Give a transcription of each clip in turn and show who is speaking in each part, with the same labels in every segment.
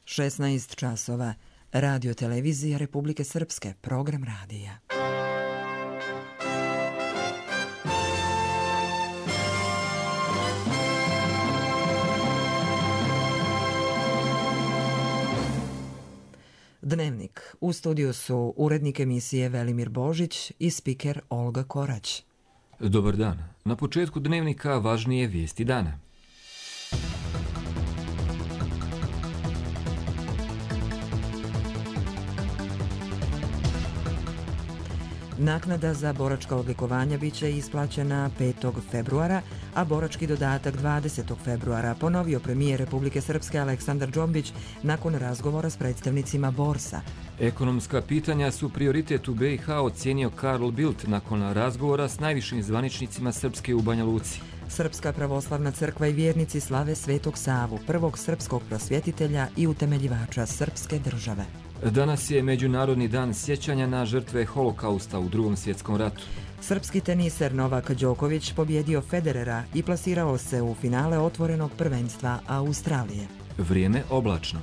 Speaker 1: 16 časova. Radio televizija Republike Srpske, program radija. Dnevnik. U studiju su urednik emisije Velimir Božić i spiker Olga Korać.
Speaker 2: Dobar dan. Na početku dnevnika važnije vijesti dana.
Speaker 1: Naknada za boračka odlikovanja biće isplaćena 5. februara, a borački dodatak 20. februara, ponovio premijer Republike Srpske Aleksandar Džombić nakon razgovora s predstavnicima Borsa.
Speaker 2: Ekonomska pitanja su prioritet u BiH, ocijenio Karl Bildt nakon razgovora s najvišim zvaničnicima Srpske u Banja Luci.
Speaker 1: Srpska pravoslavna crkva i vjernici slave Svetog Savu, prvog srpskog prosvjetitelja i utemeljivača srpske države.
Speaker 2: Danas je Međunarodni dan sjećanja na žrtve Holokausta u Drugom svjetskom ratu.
Speaker 1: Srpski teniser Novak Đoković pobjedio Federera i plasirao se u finale otvorenog prvenstva Australije.
Speaker 2: Vrijeme oblačno.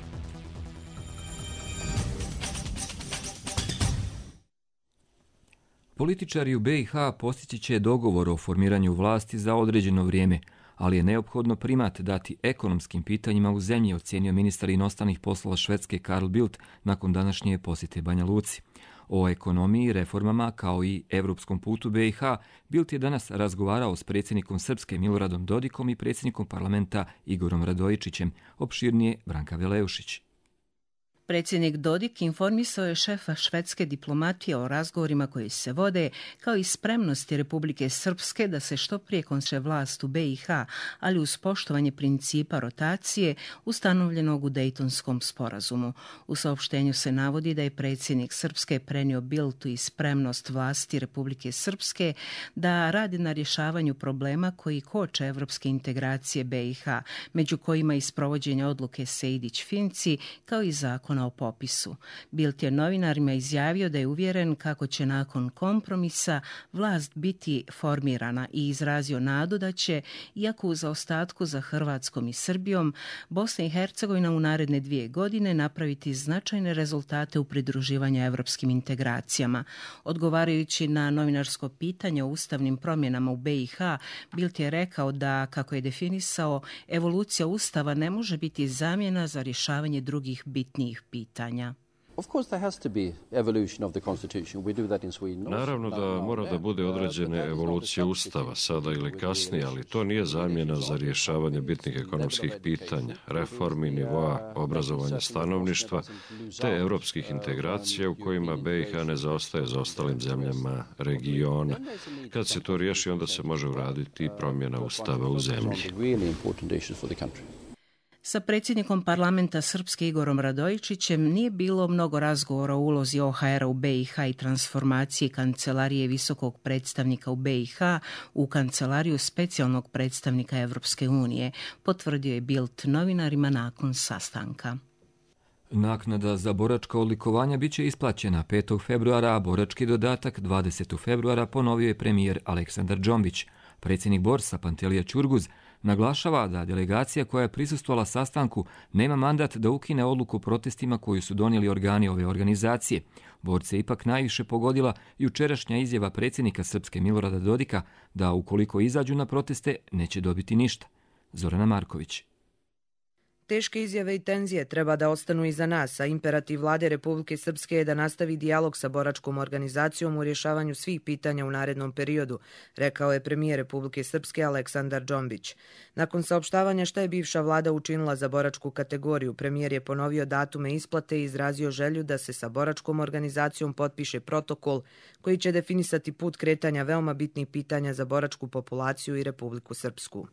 Speaker 2: Političari u BiH postići će dogovor o formiranju vlasti za određeno vrijeme, ali je neophodno primat dati ekonomskim pitanjima u zemlji, ocijenio ministar inostranih poslova Švedske Karl Bildt nakon današnje posjete Banja Luci. O ekonomiji, reformama kao i europskom putu BiH Bildt je danas razgovarao s predsjednikom Srpske Miloradom Dodikom i predsjednikom parlamenta Igorom Radojičićem, opširnije Branka Veleušić.
Speaker 3: Predsjednik Dodik informisao je šefa švedske diplomatije o razgovorima koji se vode, kao i spremnosti Republike Srpske da se što prije konče vlast u BiH, ali uz poštovanje principa rotacije ustanovljenog u Dejtonskom sporazumu. U saopštenju se navodi da je predsjednik Srpske prenio Bildtu i spremnost vlasti Republike Srpske da radi na rješavanju problema koji koče evropske integracije BiH, među kojima i sprovođenje odluke Sejdić-Finci, kao i zakon o popisu. Bildt je novinarima izjavio da je uvjeren kako će nakon kompromisa vlast biti formirana i izrazio nadu da će, iako u zaostatku za Hrvatskom i Srbijom, Bosna i Hercegovina u naredne 2 godine napraviti značajne rezultate u pridruživanju evropskim integracijama. Odgovarajući na novinarsko pitanje o ustavnim promjenama u BiH, Bildt je rekao da, kako je definisao, evolucija ustava ne može biti zamjena za rješavanje drugih bitnijih pitanja.
Speaker 4: Naravno da mora da bude određene evolucije ustava, sada ili kasnije, ali to nije zamjena za rješavanje bitnih ekonomskih pitanja, reformi, nivoa obrazovanja stanovništva, te europskih integracija u kojima BiH ne zaostaje za ostalim zemljama regiona. Kad se to riješi, onda se može uraditi promjena ustava u zemlji.
Speaker 3: Sa predsjednikom parlamenta Srpske Igorom Radojičićem nije bilo mnogo razgovora o ulozi OHR-a u BiH i transformaciji Kancelarije visokog predstavnika u BiH u Kancelariju specijalnog predstavnika Evropske unije, potvrdio je Bildt novinarima nakon sastanka.
Speaker 2: Naknada za boračka odlikovanja biće isplaćena 5. februara, a borački dodatak 20. februara, ponovio je premijer Aleksandar Džombić. Predsjednik Borsa Pantelija Ćurguz naglašava da delegacija koja je prisustvovala sastanku nema mandat da ukine odluku o protestima koju su donijeli organi ove organizacije. Borce je ipak najviše pogodila jučerašnja izjava predsjednika Srpske Milorada Dodika da ukoliko izađu na proteste neće dobiti ništa. Zorana Marković.
Speaker 5: Teške izjave i tenzije treba da ostanu iza nas, a imperativ vlade Republike Srpske je da nastavi dijalog sa boračkom organizacijom u rješavanju svih pitanja u narednom periodu, rekao je premijer Republike Srpske Aleksandar Džombić. Nakon saopštavanja šta je bivša vlada učinila za boračku kategoriju, premijer je ponovio datume isplate i izrazio želju da se sa boračkom organizacijom potpiše protokol koji će definisati put kretanja veoma bitnih pitanja za boračku populaciju i Republiku Srpsku.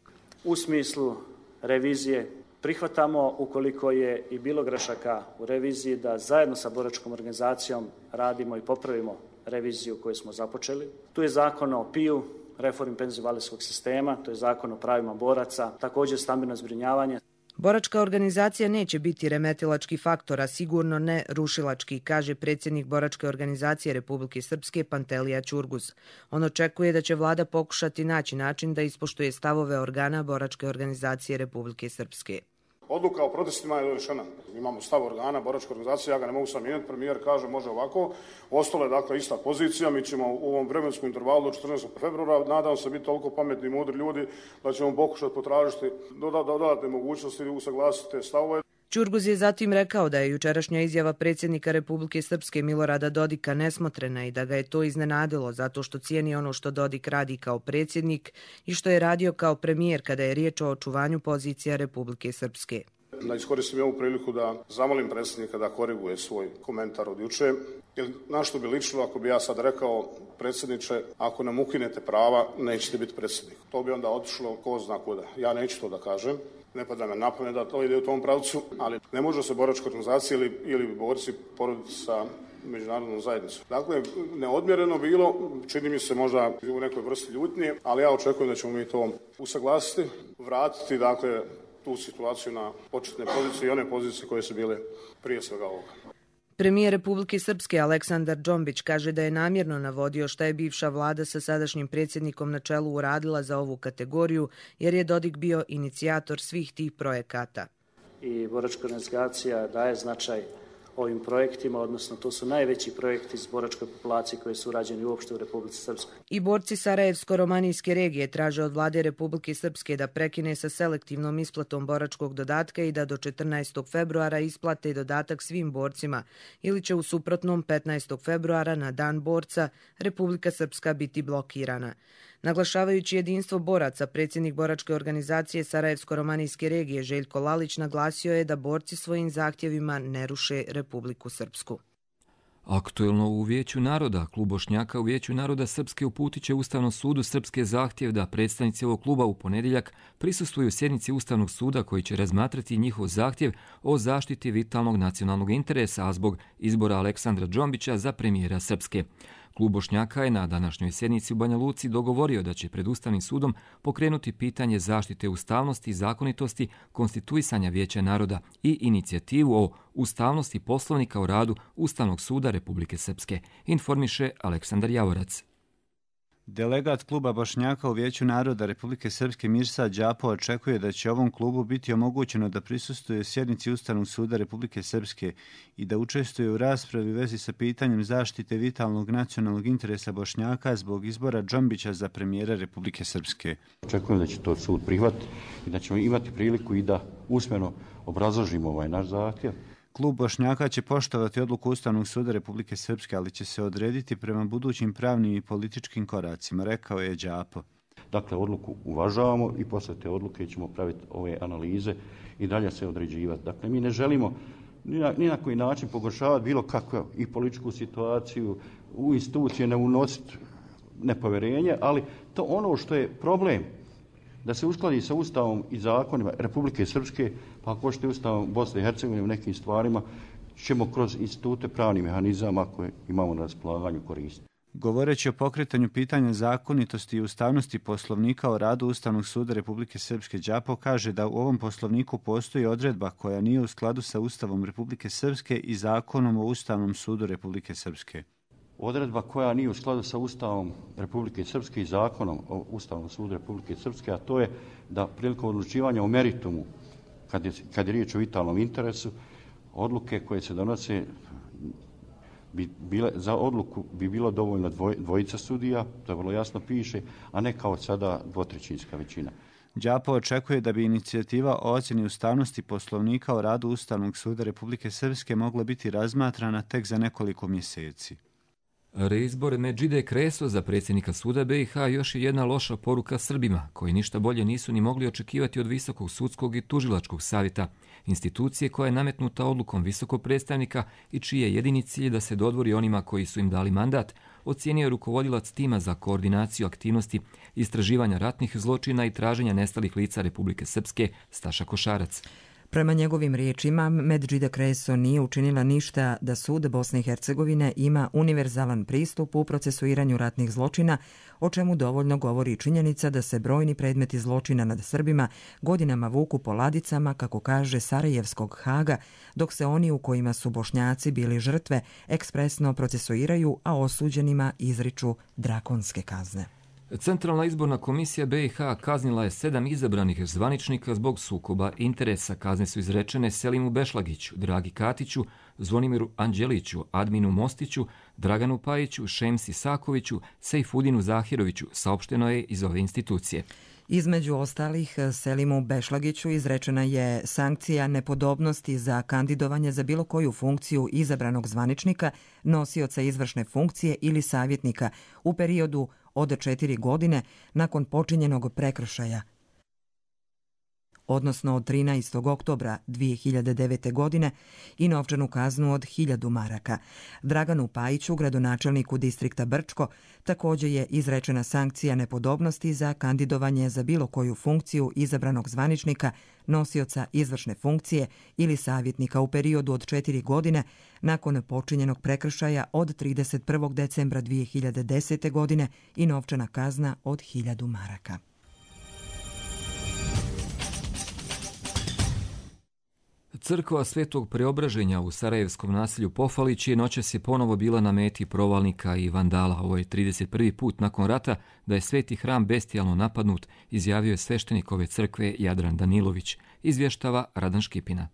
Speaker 6: U smislu revizije prihvatamo, ukoliko je i bilo grešaka u reviziji, da zajedno sa boračkom organizacijom radimo i popravimo reviziju koju smo započeli. Tu je zakon o PIU, reformi penzijsko-invalidskog sistema, to je zakon o pravima boraca, također stambeno zbrinjavanje.
Speaker 5: Boračka organizacija neće biti remetilački faktor, a sigurno ne rušilački, kaže predsjednik Boračke organizacije Republike Srpske Pantelija Ćurguz. On očekuje da će vlada pokušati naći način da ispoštuje stavove organa Boračke organizacije Republike Srpske.
Speaker 7: Odluka o protestima je donešena. Imamo stav organa, boračka organizacija, ja ga ne mogu sam mijenjati, premijer kaže može ovako. Ostalo je dakle ista pozicija, mi ćemo u ovom vremenskom intervalu do 14. februara, nadam se biti toliko pametni i mudri ljudi da ćemo pokušati potražiti dodatne mogućnosti i usaglasiti te stavove.
Speaker 5: Čurguz je zatim rekao da je jučerašnja izjava predsjednika Republike Srpske Milorada Dodika nesmotrena i da ga je to iznenadilo zato što cijeni ono što Dodik radi kao predsjednik i što je radio kao premijer kada je riječ o očuvanju pozicija Republike Srpske.
Speaker 7: Da iskoristim ovu priliku da zamolim predsjednika da koriguje svoj komentar od juče. Na što bi ličilo ako bi ja sad rekao, predsjedniče, ako nam ukinete prava, nećete biti predsjednik. To bi onda otišlo ko zna kuda. Ja neću to da kažem. Ne pada me na pamet da to ide u tom pravcu, ali ne može se boračka organizacija ili borci poroditi sa međunarodnom zajednicom. Dakle, neodmjereno bilo, čini mi se možda u nekoj vrsti ljutnje, ali ja očekujem da ćemo mi to usaglasiti, vratiti, dakle, tu situaciju na početne pozicije i one pozicije koje su bile prije svega ovoga.
Speaker 5: Premijer Republike Srpske Aleksandar Džombić kaže da je namjerno navodio šta je bivša vlada sa sadašnjim predsjednikom na čelu uradila za ovu kategoriju, jer je Dodik bio inicijator svih tih projekata.
Speaker 6: I boračka organizacija daje značaj ovim projektima, odnosno to su najveći projekti iz boračke populacije koji su urađeni uopšte u Republici Srpskoj.
Speaker 5: I borci Sarajevsko-romanijske regije traže od vlade Republike Srpske da prekine sa selektivnom isplatom boračkog dodatka i da do 14. februara isplate dodatak svim borcima ili će u suprotnom 15. februara na dan borca Republika Srpska biti blokirana. Naglašavajući jedinstvo boraca, predsjednik boračke organizacije Sarajevsko-romanijske regije Željko Lalić naglasio je da borci svojim zahtjevima ne ruše Republiku Srpsku.
Speaker 2: Aktuelno u Vijeću naroda, klub Bošnjaka u Vijeću naroda Srpske uputit će Ustavnom sudu Srpske zahtjev da predstavnici ovog kluba u ponedjeljak prisustvuju sjednici Ustavnog suda koji će razmatrati njihov zahtjev o zaštiti vitalnog nacionalnog interesa, a zbog izbora Aleksandra Džombića za premijera Srpske. Klub Bošnjaka je na današnjoj sjednici u Banja Luci dogovorio da će pred Ustavnim sudom pokrenuti pitanje zaštite ustavnosti i zakonitosti konstituisanja Vijeća naroda i inicijativu o ustavnosti Poslovnika o radu Ustavnog suda Republike Srpske, informiše Aleksandar Javorac.
Speaker 8: Delegat kluba Bošnjaka u Vijeću naroda Republike Srpske Mirsa Đapo očekuje da će ovom klubu biti omogućeno da prisustvuje sjednici Ustavnog suda Republike Srpske i da učestvuje u raspravi u vezi sa pitanjem zaštite vitalnog nacionalnog interesa Bošnjaka zbog izbora Džombića za premijera Republike Srpske.
Speaker 9: Očekujem da će to sud prihvatiti i da ćemo imati priliku i da usmeno obrazložimo ovaj naš zahtjev.
Speaker 8: Klub Bošnjaka će poštovati odluku Ustavnog suda Republike Srpske, ali će se odrediti prema budućim pravnim i političkim koracima, rekao je Đapo.
Speaker 9: Dakle, odluku uvažavamo i posle te odluke ćemo praviti ove analize i dalje se određivati. Dakle, mi ne želimo ni na koji način pogoršavati bilo kakvu i političku situaciju, u institucije ne unositi nepovjerenje, ali to ono što je problem, da se uskladi sa Ustavom i zakonima Republike Srpske, pa ako ćete Ustavom Bosne i Hercegovine u nekim stvarima, ćemo kroz institute pravnih mehanizama koje imamo na raspolaganju koristiti.
Speaker 8: Govoreći o pokretanju pitanja zakonitosti i ustavnosti Poslovnika o radu Ustavnog suda Republike Srpske, Đapo kaže da u ovom Poslovniku postoji odredba koja nije u skladu sa Ustavom Republike Srpske i Zakonom o Ustavnom sudu Republike Srpske.
Speaker 9: Odredba koja nije u skladu sa Ustavom Republike Srpske i Zakonom o Ustavnom sudu Republike Srpske, a to je da prilikom odlučivanja o meritumu, kad je riječ o vitalnom interesu, odluke koje se donose za odluku bi bilo dovoljno dvojica sudija, to vrlo jasno piše, a ne kao sada dvotrećinska većina.
Speaker 8: Đapo očekuje da bi inicijativa o ocjeni ustavnosti Poslovnika o radu Ustavnog suda Republike Srpske mogla biti razmatrana tek za nekoliko mjeseci.
Speaker 2: Reizbor Medžide Kreso za predsjednika suda BiH još je jedna loša poruka Srbima, koji ništa bolje nisu ni mogli očekivati od Visokog sudskog i tužilačkog savjeta, institucije koja je nametnuta odlukom visokog predstavnika i čiji je jedini cilj da se dodvori onima koji su im dali mandat, ocijenio je rukovodilac tima za koordinaciju aktivnosti istraživanja ratnih zločina i traženja nestalih lica Republike Srpske Staša Košarac.
Speaker 1: Prema njegovim riječima, Medžida Kreso nije učinila ništa da sud Bosne i Hercegovine ima univerzalan pristup u procesuiranju ratnih zločina, o čemu dovoljno govori činjenica da se brojni predmeti zločina nad Srbima godinama vuku po ladicama, kako kaže Sarajevskog Haga, dok se oni u kojima su Bošnjaci bili žrtve ekspresno procesuiraju, a osuđenima izriču drakonske kazne.
Speaker 2: Centralna izborna komisija BiH kaznila je 7 izabranih zvaničnika zbog sukoba interesa. Kazne su izrečene Selimu Bešlagiću, Dragi Katiću, Zvonimiru Anđeliću, Adminu Mostiću, Draganu Pajiću, Šemsi Sakoviću, Sejfudinu Zahiroviću, saopšteno je iz ove institucije.
Speaker 1: Između ostalih, Selimu Bešlagiću izrečena je sankcija nepodobnosti za kandidovanje za bilo koju funkciju izabranog zvaničnika, nosioca izvršne funkcije ili savjetnika u periodu od 4 godine nakon počinjenog prekršaja, odnosno od 13. oktobra 2009. godine i novčanu kaznu od 1000 maraka. Draganu Pajiću, gradonačelniku distrikta Brčko, također je izrečena sankcija nepodobnosti za kandidovanje za bilo koju funkciju izabranog zvaničnika, nosioca izvršne funkcije ili savjetnika u periodu od 4 godine nakon počinjenog prekršaja od 31. decembra 2010. godine i novčana kazna od 1000 maraka.
Speaker 2: Crkva Svetog Preobraženja u sarajevskom naselju Pofalić je noćas ponovo bila na meti provalnika i vandala. Ovo je 31. put nakon rata da je sveti hram bestijalno napadnut, izjavio je sveštenik ove crkve Jadran Danilović. Izvještava Radan Škipina.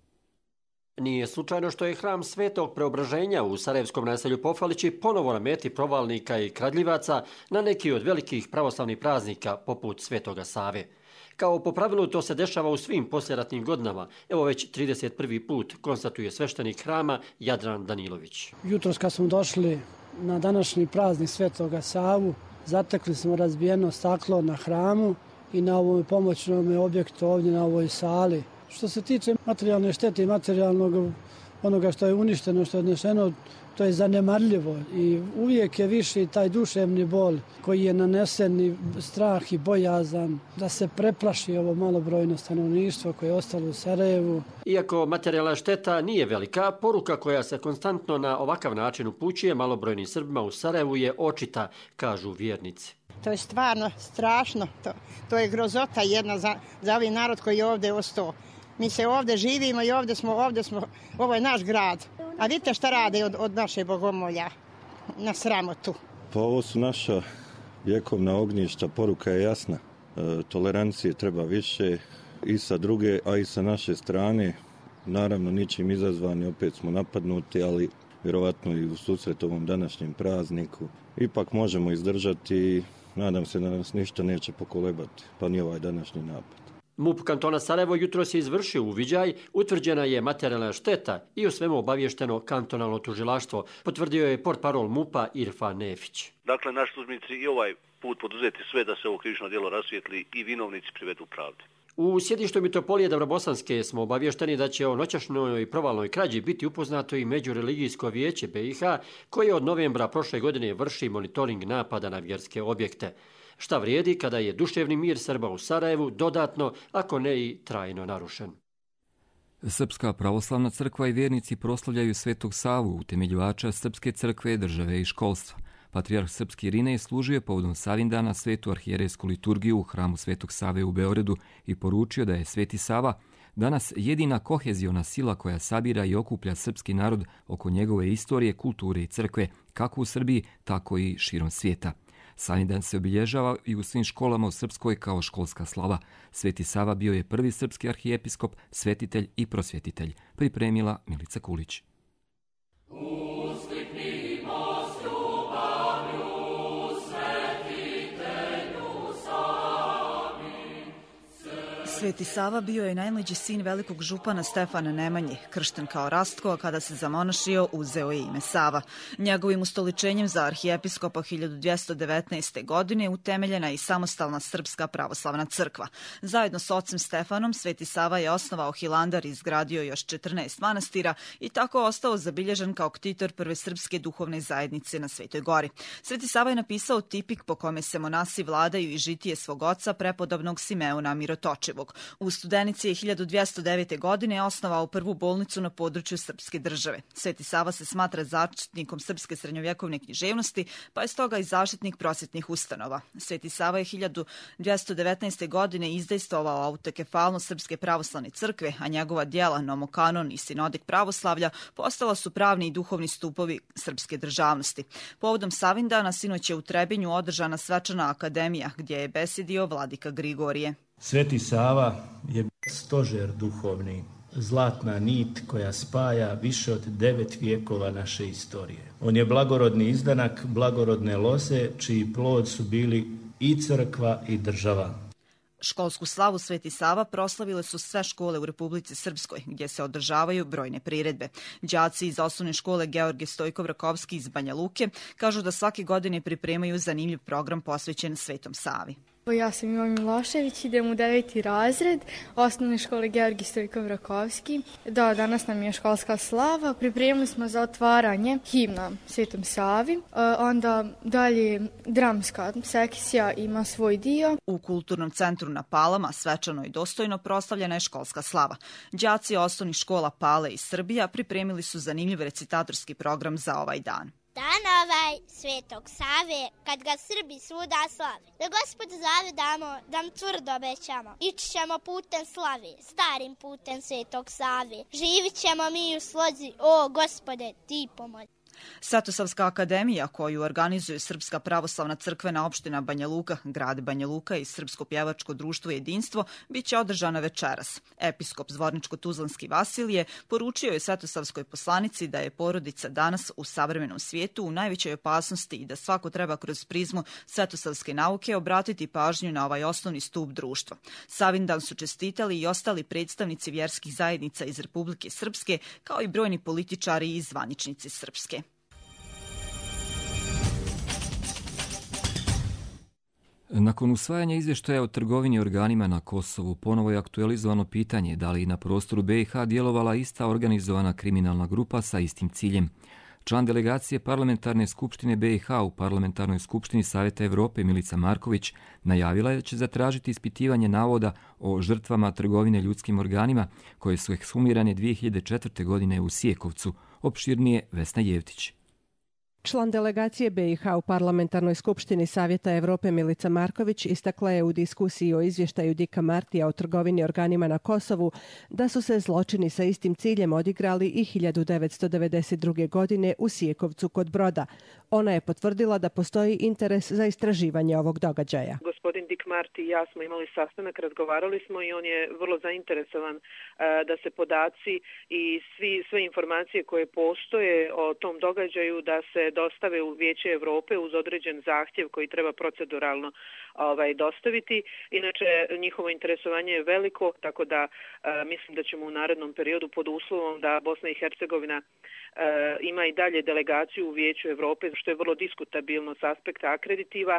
Speaker 10: Nije slučajno što je hram Svetog Preobraženja u sarajevskom naselju Pofalići ponovo na meti provalnika i kradljivaca na neki od velikih pravoslavnih praznika poput Svetoga Save. Kao po pravilu to se dešava u svim poslijeratnim godinama. Evo već 31. put, konstatuje sveštenik hrama Jadran Danilović.
Speaker 11: Jutros kad smo došli na današnji praznik Svetoga Savu, zatekli smo razbijeno staklo na hramu i na ovom pomoćnom objektu ovdje na ovoj sali. Što se tiče materijalne štete i materijalnog onoga što je uništeno, što je odneseno, to je zanemarljivo i uvijek je viši taj duševni bol koji je nanesen i strah i bojazan da se preplaši ovo malobrojno stanovništvo koje je ostalo u Sarajevu.
Speaker 10: Iako materijalna šteta nije velika, poruka koja se konstantno na ovakav način upućuje malobrojnim Srbima u Sarajevu je očita, kažu vjernici.
Speaker 12: To je stvarno strašno, to je grozota jedna za ovaj narod koji je ovdje ostao. Mi se ovdje živimo i ovdje smo, ovo je naš grad. A vidite šta rade od naše bogomolja na sramotu.
Speaker 13: Pa ovo su naša vjekovna ognjišta, poruka je jasna. Tolerancije treba više i sa druge, a i sa naše strane. Naravno, ničim izazvani, opet smo napadnuti, ali vjerovatno i u susret ovom današnjem prazniku. Ipak možemo izdržati i nadam se da nas ništa neće pokolebati, pa ni ovaj današnji napad.
Speaker 10: MUP kantona Sarajevo jutros je izvršio uviđaj, utvrđena je materijalna šteta i o svemu obavješteno kantonalno tužilaštvo, potvrdio je portparol MUP-a Irfan Nefić.
Speaker 14: Dakle, naši službenici i ovaj put poduzeti sve da se ovo krivično djelo rasvijetli i vinovnici privedu pravdi.
Speaker 10: U sjedištu Mitropolije Dobrobosanske smo obavješteni da će o noćašnjoj provalnoj krađi biti upoznato i Međureligijsko vijeće BiH, koje od novembra prošle godine vrši monitoring napada na vjerske objekte. Šta vrijedi kada je duševni mir Srba u Sarajevu dodatno, ako ne i trajno narušen.
Speaker 2: Srpska pravoslavna crkva i vjernici proslavljaju Svetog Savu, utemeljivača Srpske crkve, države i školstva. Patrijarh Srpski Irinej služio je povodom Savindana svetu arhijerejsku liturgiju u hramu Svetog Save u Beogradu i poručio da je Sveti Sava danas jedina koheziona sila koja sabira i okuplja srpski narod oko njegove istorije, kulture i crkve, kako u Srbiji, tako i širom svijeta. Savindan se obilježava i u svim školama u Srpskoj kao školska slava. Sveti Sava bio je prvi srpski arhijepiskop, svetitelj i prosvjetitelj, pripremila Milica Kulić.
Speaker 15: Sveti Sava bio je najmlađi sin velikog župana Stefana Nemanje, kršten kao Rastko, a kada se zamonašio uzeo je ime Sava. Njegovim ustoličenjem za arhijepiskopa 1219. godine utemeljena je i samostalna Srpska pravoslavna crkva. Zajedno s ocem Stefanom, Sveti Sava je osnovao Hilandar i izgradio još 14 manastira i tako ostao zabilježen kao ktitor prve srpske duhovne zajednice na Svetoj Gori. Sveti Sava je napisao tipik po kome se monasi vladaju i žitije svog oca, prepodobnog Simeona Mirotočivog. Prvog. U Studenici je 1209. godine osnovao prvu bolnicu na području srpske države. Sveti Sava se smatra zaštitnikom srpske srednjovjekovne književnosti, pa je stoga i zaštitnik prosvjetnih ustanova. Sveti Sava je 1219. godine izdejstvovao autokefalnost Srpske pravoslavne crkve, a njegova djela Nomokanon i Sinodik pravoslavlja postala su pravni i duhovni stupovi srpske državnosti. Povodom Savindana sinoć je u Trebinju održana svečana akademija gdje je besedio vladika Grigorije.
Speaker 16: Sveti Sava je stožer duhovni, zlatna nit koja spaja više od 9 vijekova naše istorije. On je blagorodni izdanak blagorodne loze, čiji plod su bili i crkva i država.
Speaker 15: Školsku slavu Sveti Sava proslavile su sve škole u Republici Srpskoj, gdje se održavaju brojne priredbe. Đaci iz osnovne škole Georgije Stojkov-Rakovski iz Banja Luke kažu da svake godine pripremaju zanimljiv program posvećen Svetom Savi.
Speaker 17: Ja sam Ivan Milošević, idem u 9. razred osnovne škole Georgije Stojkov-Rakovski. Danas nam je školska slava. Pripremili smo za otvaranje himna Svetom Savi. Onda dalje dramska sekcija ima svoj dio.
Speaker 15: U Kulturnom centru na Palama svečano i dostojno proslavljena je školska slava. Đaci osnovnih škola Pale i Srbija pripremili su zanimljiv recitatorski program za ovaj dan.
Speaker 18: Dan ovaj Svetog Save, kad ga Srbi svuda slave, da Gospod zavedamo, da mu tvrdo obećamo. Ići ćemo putem slave, starim putem Svetog Save. Živit ćemo mi u slozi, o Gospode, ti pomozi.
Speaker 15: Svetosavska akademija, koju organizuju Srpska pravoslavna crkvena opština Banja Luka, grad Banja Luka i Srpsko pjevačko društvo Jedinstvo, bit će održana večeras. Episkop Zvorničko-Tuzlanski Vasilije poručio je Svetosavskoj poslanici da je porodica danas u savremenom svijetu u najvećoj opasnosti i da svako treba kroz prizmu svetosavske nauke obratiti pažnju na ovaj osnovni stup društva. Savindan su čestitali i ostali predstavnici vjerskih zajednica iz Republike Srpske, kao i brojni političari i zvaničnici Srpske.
Speaker 2: Nakon usvajanja izvještaja o trgovini organima na Kosovu, ponovo je aktualizovano pitanje da li na prostoru BiH djelovala ista organizovana kriminalna grupa sa istim ciljem. Član delegacije Parlamentarne skupštine BiH u Parlamentarnoj skupštini Savjeta Evrope Milica Marković najavila je da će zatražiti ispitivanje navoda o žrtvama trgovine ljudskim organima koje su ekshumirane 2004. godine u Sijekovcu. Opširnije Vesna Jevtić.
Speaker 19: Član delegacije BiH u Parlamentarnoj skupštini Savjeta Evrope Milica Marković istakla je u diskusiji o izvještaju Dika Martija o trgovini organima na Kosovu da su se zločini sa istim ciljem odigrali i 1992. godine u Sijekovcu kod Broda. Ona je potvrdila da postoji interes za istraživanje ovog događaja.
Speaker 20: Gospodin Dik Marti i ja smo imali sastanak, razgovarali smo i on je vrlo zainteresovan da se podaci i sve informacije koje postoje o tom događaju da se dostave u Vijeće Evrope uz određen zahtjev koji treba proceduralno dostaviti. Inače, njihovo interesovanje je veliko, tako da mislim da ćemo u narednom periodu pod uslovom da Bosna i Hercegovina ima i dalje delegaciju u Vijeću Evrope, što je vrlo diskutabilno s aspekta akreditiva.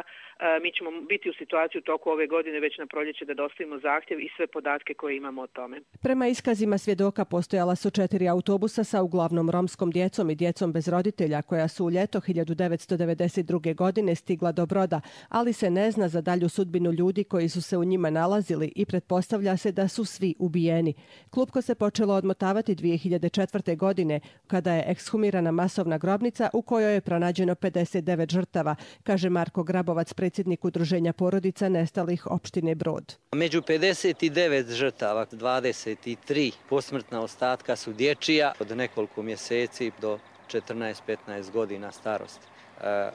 Speaker 20: Mi ćemo biti u situaciji u toku ove godine već na proljeće da dostavimo zahtjev i sve podatke koje imamo o tome.
Speaker 19: Prema iskazima svjedoka postojala su 4 autobusa sa uglavnom romskom djecom i djecom bez roditelja koja su u ljeto 1992. godine stigla do Broda, ali se ne zna za dalju sudbinu ljudi koji su se u njima nalazili i pretpostavlja se da su svi ubijeni. Klupko se počelo odmotavati 2004. godine kada je ekshumirana masovna grobnica u kojoj je pronađeno 59 žrtava, kaže Marko Grabovac, predsjednik Udruženja porodica nestalih opštine Brod.
Speaker 21: Među 59 žrtava, 23 posmrtna ostatka su dječija od nekoliko mjeseci do 14-15 godina starosti.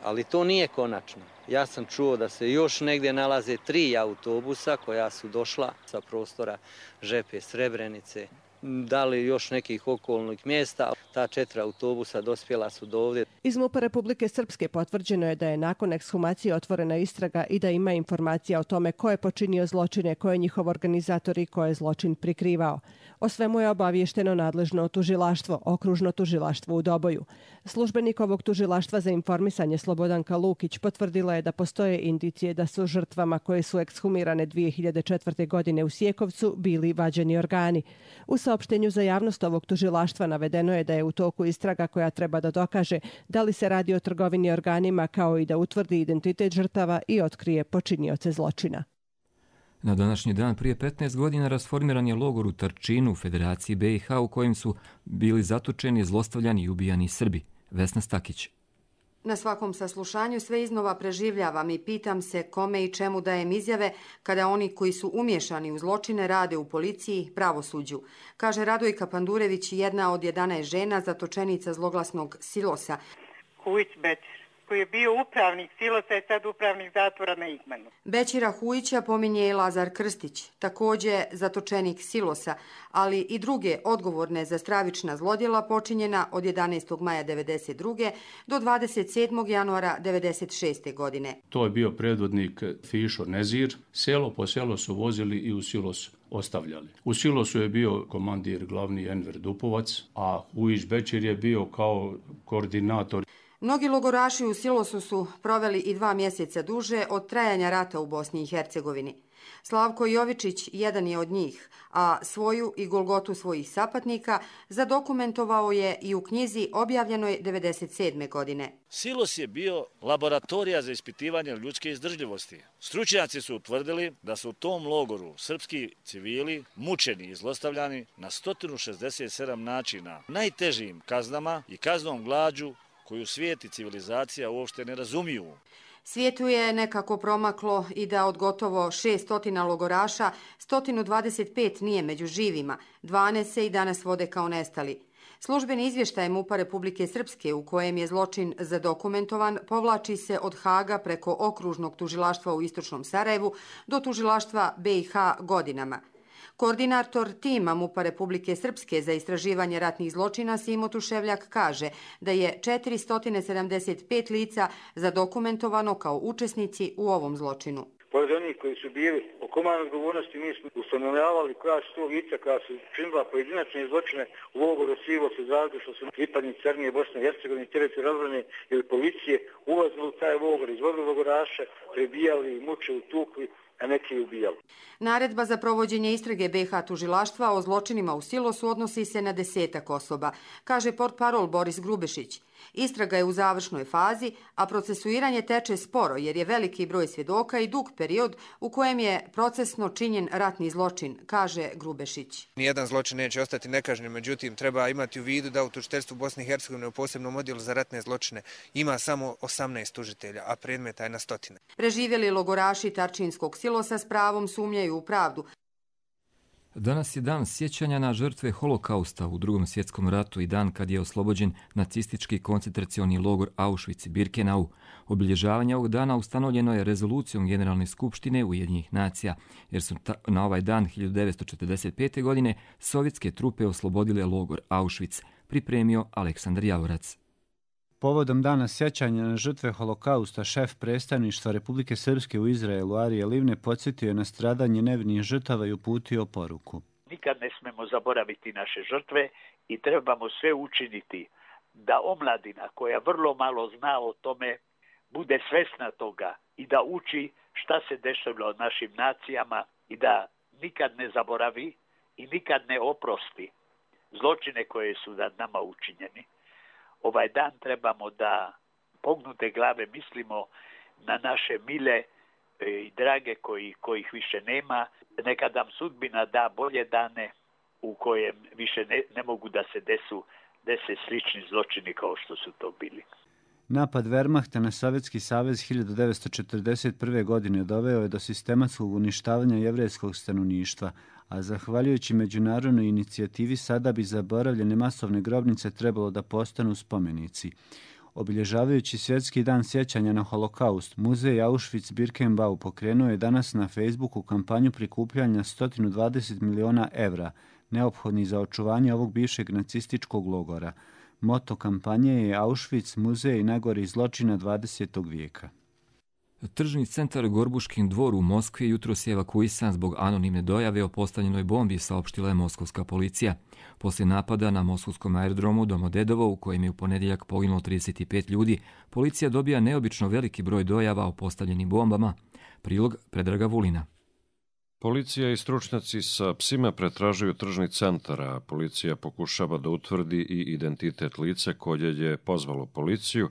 Speaker 21: Ali to nije konačno. Ja sam čuo da se još negdje nalaze 3 autobusa koja su došla sa prostora Žepe, Srebrenice, da li još nekih okolnih mjesta. Ta 4 autobusa dospjela su do ovdje.
Speaker 19: Iz MUP-a Republike Srpske potvrđeno je da je nakon ekshumacije otvorena istraga i da ima informacija o tome ko je počinio zločine, ko je njihov organizator i ko je zločin prikrivao. O svemu je obaviješteno nadležno tužilaštvo, okružno tužilaštvo u Doboju. Službenik ovog tužilaštva za informisanje Slobodanka Lukić potvrdila je da postoje indicije da su žrtvama koje su ekshumirane 2004. godine u Sijekovcu bili vađeni organi. U saopštenju za javnost ovog tužilaštva navedeno je da je u toku istraga koja treba da dokaže da li se radi o trgovini organima kao i da utvrdi identitet žrtava i otkrije počinioce zločina.
Speaker 2: Na današnji dan prije 15 godina rasformiran je logor u Tarčinu u Federaciji BiH u kojem su bili zatočeni, zlostavljani i ubijani Srbi. Vesna Stakić.
Speaker 4: Na svakom saslušanju sve iznova preživljavam i pitam se kome i čemu dajem izjave kada oni koji su umješani u zločine rade u policiji, pravosuđu, kaže Radojka Pandurević, jedna od 11 žena zatočenica zloglasnog Silosa.
Speaker 22: Hujić Bećir, koji je bio upravnik Silosa, je sad upravnik zatvora na Igmanu.
Speaker 4: Bećira Hujića pominje i Lazar Krstić, također zatočenik Silosa, ali i druge odgovorne za stravična zlodjela počinjena od 11. maja 1992. do 27. januara 1996. godine.
Speaker 23: To je bio predvodnik Fišo Nezir. Selo po selo su vozili i u Silos ostavljali. U Silosu je bio komandir glavni Enver Dupovac, a Hujić Bećir je bio kao koordinator.
Speaker 4: Mnogi logoraši u Silosu su proveli i 2 mjeseca duže od trajanja rata u Bosni i Hercegovini. Slavko Jovičić jedan je od njih, a svoju i golgotu svojih sapatnika zadokumentovao je i u knjizi objavljenoj 1997. godine.
Speaker 24: Silos je bio laboratorija za ispitivanje ljudske izdržljivosti. Stručnjaci su utvrdili da su u tom logoru srpski civili mučeni i zlostavljani na 167 načina, najtežim kaznama i kaznom glađu koju svijet i civilizacija uopšte ne razumiju.
Speaker 4: Svijetu je nekako promaklo i da od gotovo 600 logoraša 125 nije među živima, 12 se i danas vode kao nestali. Službeni izvještaj MUP-a Republike Srpske u kojem je zločin zadokumentovan povlači se od Haga preko okružnog tužilaštva u istočnom Sarajevu do tužilaštva BiH godinama. Koordinator tima MUP-a Republike Srpske za istraživanje ratnih zločina Simo Tuševljak kaže da je 475 lica zadokumentovano kao učesnici u ovom zločinu.
Speaker 25: Pored onih koji su bili o komandnoj odgovornosti, mi smo ustanovljavali koja su to lica koja su činila pojedinačne zločine u logoru Silos u Zagrebu, što su pripadnici armije Bosne i Hercegovine, teritorijalne odbrane ili policije ulazili u taj logor, izvodili logoraše, prebijali, mučili, tukli, a neki ubijali.
Speaker 4: Naredba za provođenje istrage BiH tužilaštva o zločinima u Silosu odnosi se na 10 osoba, kaže portparol Boris Grubešić. Istraga je u završnoj fazi, a procesuiranje teče sporo jer je veliki broj svjedoka i dug period u kojem je procesno činjen ratni zločin, kaže Grubešić.
Speaker 26: Nijedan zločin neće ostati nekažnjen, međutim treba imati u vidu da u tužiteljstvu Bosne i Hercegovine u posebnom odjelu za ratne zločine ima samo 18 tužitelja, a predmeta je na stotine.
Speaker 4: Preživjeli logoraši Tarčinskog Silosa s pravom sumnjaju u pravdu.
Speaker 2: Danas je dan sjećanja na žrtve holokausta u Drugom svjetskom ratu i dan kad je oslobođen nacistički koncentracioni logor Auschwitz-Birkenau. Obilježavanje ovog dana ustanovljeno je rezolucijom Generalne skupštine Ujedinjenih nacija, jer su na ovaj dan 1945. godine sovjetske trupe oslobodile logor Auschwitz, pripremio Aleksandar Javorac.
Speaker 8: Povodom dana sjećanja na žrtve holokausta, šef predstavništva Republike Srpske u Izraelu Arije Livne podsjetio je na stradanje nevinih žrtava i uputio poruku.
Speaker 27: Nikad ne smemo zaboraviti naše žrtve i trebamo sve učiniti da omladina koja vrlo malo zna o tome bude svesna toga i da uči šta se dešavalo našim nacijama i da nikad ne zaboravi i nikad ne oprosti zločine koje su nad nama učinjeni. Ovaj dan trebamo da pognute glave mislimo na naše mile i drage kojih više nema. Neka nam sudbina da bolje dane u kojem više ne mogu da se dese slični zločini kao što su to bili.
Speaker 8: Napad Wehrmachta na Sovjetski savez 1941. godine doveo je do sistematskog uništavanja jevrejskog stanovništva, a zahvaljujući međunarodnoj inicijativi sada bi zaboravljene masovne grobnice trebalo da postanu spomenici. Obilježavajući svjetski dan sjećanja na holokaust, muzej Auschwitz-Birkenau pokrenuo je danas na Facebooku kampanju prikupljanja 120 miliona evra, neophodni za očuvanje ovog bivšeg nacističkog logora. Moto kampanje je Auschwitz, muzej najgorih zločina 20. vijeka.
Speaker 2: Tržni centar Gorbuškin dvor u Moskvi jutros je evakuisan zbog anonimne dojave o postavljenoj bombi, saopštila je moskovska policija. Poslije napada na moskovskom aerodromu Domodedovo, u kojem je u ponedjeljak poginulo 35 ljudi, policija dobija neobično veliki broj dojava o postavljenim bombama. Prilog Predraga Vulina.
Speaker 28: Policija i stručnjaci sa psima pretražuju tržni centar, a policija pokušava da utvrdi i identitet lica koje je pozvalo policiju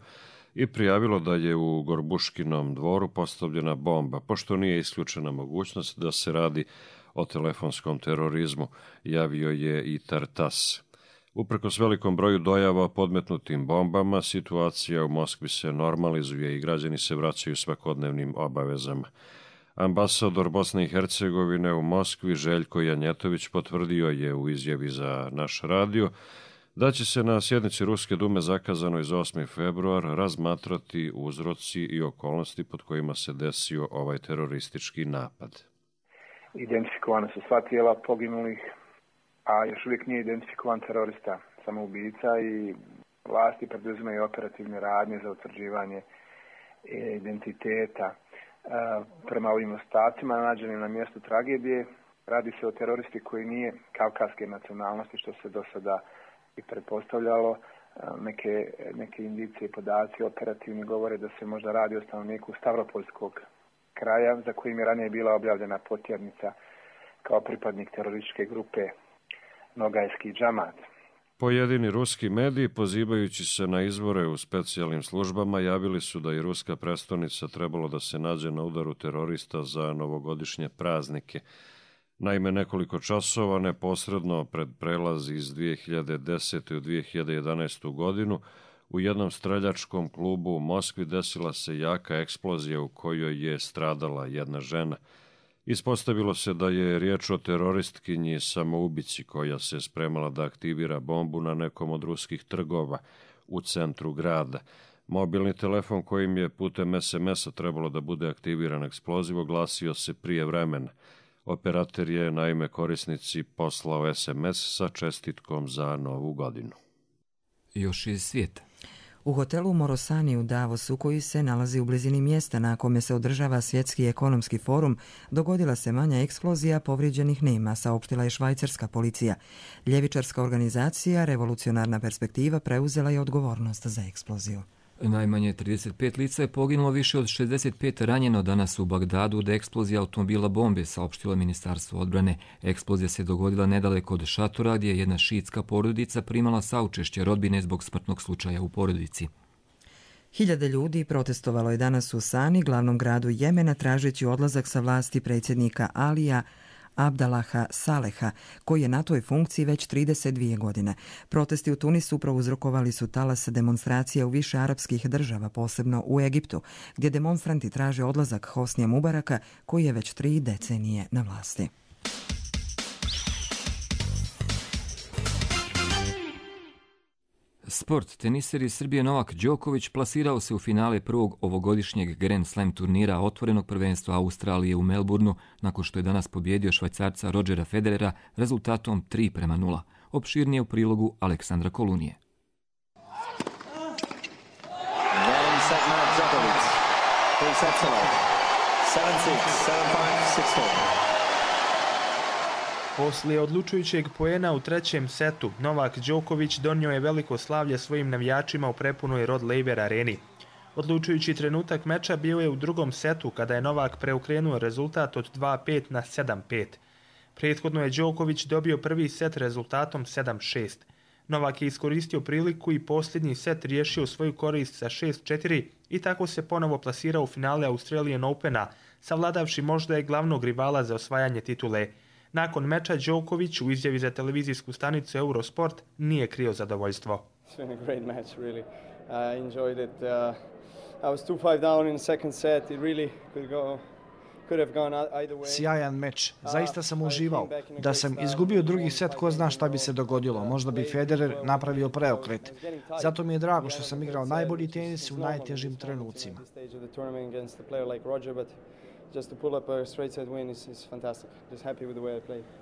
Speaker 28: i prijavilo da je u Gorbuškinom dvoru postavljena bomba, pošto nije isključena mogućnost da se radi o telefonskom terorizmu, javio je i Tartas. Uprkos velikom broju dojava o podmetnutim bombama, situacija u Moskvi se normalizuje i građani se vraćaju svakodnevnim obavezama. Ambasador Bosne i Hercegovine u Moskvi Željko Janjetović potvrdio je u izjavi za naš radio da će se na sjednici Ruske dume zakazanoj za 8. februar razmatrati uzroci i okolnosti pod kojima se desio ovaj teroristički napad.
Speaker 1: Identifikovane su sva tijela poginulih, a još uvijek nije identifikovan terorista, samoubica, i vlasti preduzimaju operativne radnje za utvrđivanje identiteta. Prema ovim ostacima nađenim na mjestu tragedije, radi se o teroristi koji nije kavkaske nacionalnosti, što se do sada i pretpostavljalo. Neke indicije i podaci operativni govore da se možda radi o stanovniku Stavropolskog kraja, za kojim je ranije bila objavljena potjernica kao pripadnik terorističke grupe Nogajski džamat.
Speaker 28: Pojedini ruski mediji, pozivajući se na izvore u specijalnim službama, javili su da je ruska prestonica trebalo da se nađe na udaru terorista za novogodišnje praznike. Naime, nekoliko časova neposredno pred prelaz iz 2010. u 2011. godinu u jednom streljačkom klubu u Moskvi desila se jaka eksplozija u kojoj je stradala jedna žena. Ispostavilo se da je riječ o teroristkinji samoubici koja se spremala da aktivira bombu na nekom od ruskih trgova u centru grada. Mobilni telefon kojim je putem SMS-a trebalo da bude aktiviran eksploziv oglasio se prije vremena. Operator je naime korisnici poslao SMS sa čestitkom za Novu godinu.
Speaker 2: Još iz svijeta.
Speaker 3: U hotelu Morosani u Davosu, koji se nalazi u blizini mjesta na kome se održava svjetski ekonomski forum, dogodila se manja eksplozija, povrijeđenih nema, saopštila je švajcarska policija. Ljevičarska organizacija Revolucionarna perspektiva preuzela je odgovornost za eksploziju.
Speaker 2: Najmanje 35 lica je poginulo, više od 65 ranjeno danas u Bagdadu od eksplozije automobila bombe, saopštilo Ministarstvo odbrane. Eksplozija se dogodila nedaleko od šatora gdje je jedna šiitska porodica primala saučešće rodbine zbog smrtnog slučaja u porodici.
Speaker 3: Hiljade ljudi protestovalo je danas u Sani, glavnom gradu Jemena, tražeći odlazak sa vlasti predsjednika Alija Abdalaha Saleha, koji je na toj funkciji već 32 godine. Protesti u Tunisu prouzrokovali su talas demonstracija u više arapskih država, posebno u Egiptu, gdje demonstranti traže odlazak Hosnija Mubaraka, koji je već 3 decenije na vlasti.
Speaker 2: Sport. Teniser iz Srbije Novak Đoković plasirao se u finale prvog ovogodišnjeg Grand Slam turnira otvorenog prvenstva Australije u Melbourneu nakon što je danas pobjedio Švajcarca Rodgera Federera rezultatom 3:0. Opširnije u prilogu Aleksandra Kolunije.
Speaker 5: Poslije odlučujućeg poena u trećem setu, Novak Đoković donio je veliko slavlje svojim navijačima u prepunoj Rod Laver areni. Odlučujući trenutak meča bio je u drugom setu kada je Novak preokrenuo rezultat od 2:5 na 7:5. Prethodno je Đoković dobio prvi set rezultatom 7:6. Novak je iskoristio priliku i posljednji set riješio svoju korist sa 6:4 i tako se ponovo plasirao u finale Australian Opena, savladavši možda i glavnog rivala za osvajanje titule. Nakon meča Đoković u izjavi za televizijsku stanicu Eurosport nije krio zadovoljstvo.
Speaker 6: Sjajan meč. Zaista sam uživao. Da sam izgubio drugi set, ko zna šta bi se dogodilo. Možda bi Federer napravio preokret. Zato mi je drago što sam igrao najbolji tenis u najtežim trenucima.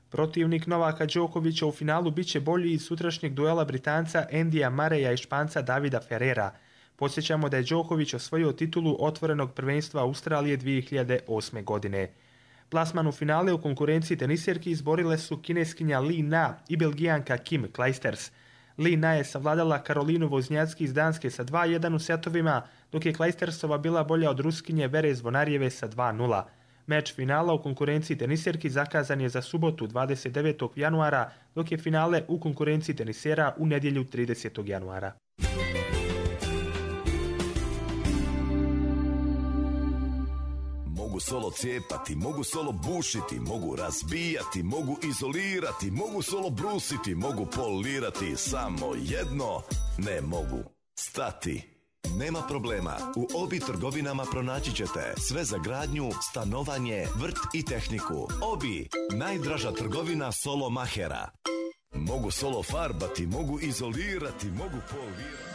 Speaker 5: Protivnik Novaka Đokovića u finalu biće bolji iz sutrašnjeg duela Britanca Andyja Murraya i Španca Davida Ferrera. Podsjećamo da je Đoković osvojio titulu otvorenog prvenstva Australije 2008. godine. Plasman u finale u konkurenciji teniserki izborile su kineskinja Li Na i belgijanka Kim Clijsters. Li Na je savladala Karolinu Voznjacki iz Danske sa 2:1 u setovima, dok je Clijstersova bila bolja od Ruskinje Vere Zvonarjeve sa 2:0. Meč finala u konkurenciji teniserki zakazan je za subotu 29. januara, dok je finale u konkurenciji tenisera u nedjelju 30. januara.
Speaker 7: solo cijepati, mogu solo bušiti, mogu razbijati, mogu izolirati, mogu solo brusiti, mogu polirati, samo jedno ne mogu, stati. Nema problema, u Obi trgovinama pronaći ćete sve za gradnju, stanovanje, vrt i tehniku. Obi, najdraža trgovina solo mahera. Mogu solo farbati, mogu izolirati, mogu polirati.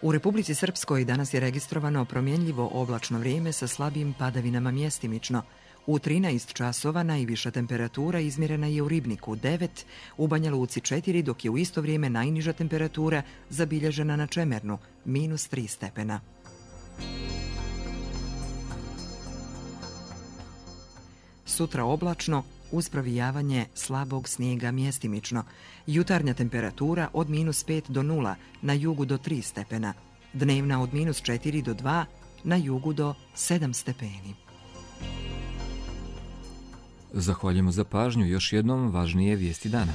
Speaker 3: U Republici Srpskoj danas je registrovano promjenljivo oblačno vrijeme sa slabim padavinama mjestimično. U 13 časova najviša temperatura izmjerena je u Ribniku 9, u Banja Luci 4, dok je u isto vrijeme najniža temperatura zabilježena na Čemernu, -3 stepena. Sutra oblačno, uz provijavanje slabog snijega mjestimično. Jutarnja temperatura od -5 do 0, na jugu do 3 stepena. Dnevna od -4 do 2, na jugu do 7 stepeni.
Speaker 2: Zahvaljujemo za pažnju. Još jednom važnije vijesti dana.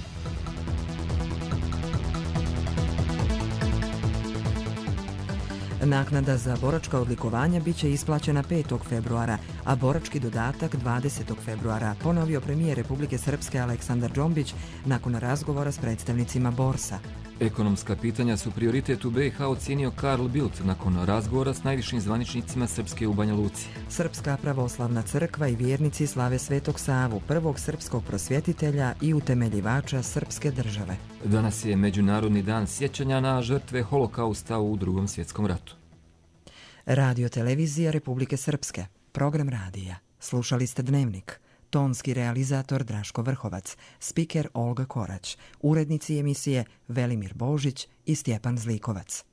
Speaker 3: Naknada za boračka odlikovanja bit će isplaćena 5. februara, a borački dodatak 20. februara, ponovio premijer Republike Srpske Aleksandar Džombić nakon razgovora s predstavnicima Borsa.
Speaker 2: Ekonomska pitanja su prioritet u BiH ocijenio Karl Bildt nakon razgovora s najvišim zvaničnicima Srpske u Banja Luci.
Speaker 3: Srpska pravoslavna crkva i vjernici slave Svetog Savu, prvog srpskog prosvjetitelja i utemeljivača srpske države.
Speaker 2: Danas je Međunarodni dan sjećanja na žrtve holokausta u Drugom svjetskom ratu.
Speaker 3: Radio televizija Republike Srpske, program radija. Slušali ste Dnevnik. Tonski realizator Draško Vrhovac, spiker Olga Korać, urednici emisije Velimir Božić i Stjepan Zlikovac.